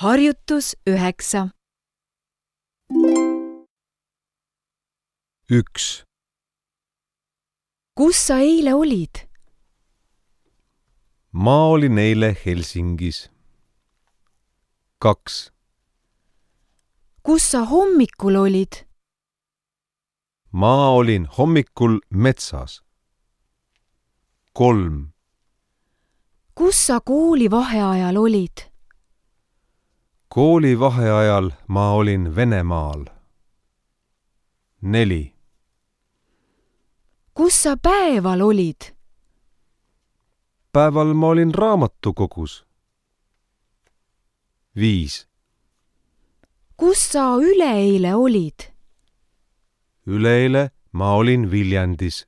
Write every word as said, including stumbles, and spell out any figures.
Harjutus üheksa. üks. Kus sa eile olid? Ma olin eile Helsingis. kaks. Kus sa hommikul olid? Ma olin hommikul metsas. kolm. Kus sa kooli vaheajal olid? Kooli vaheajal ma olin Venemaal. neli. Kus sa päeval olid? Päeval ma olin raamatukogus. viis. Kus sa üleeile olid? Üleeile ma olin Viljandis.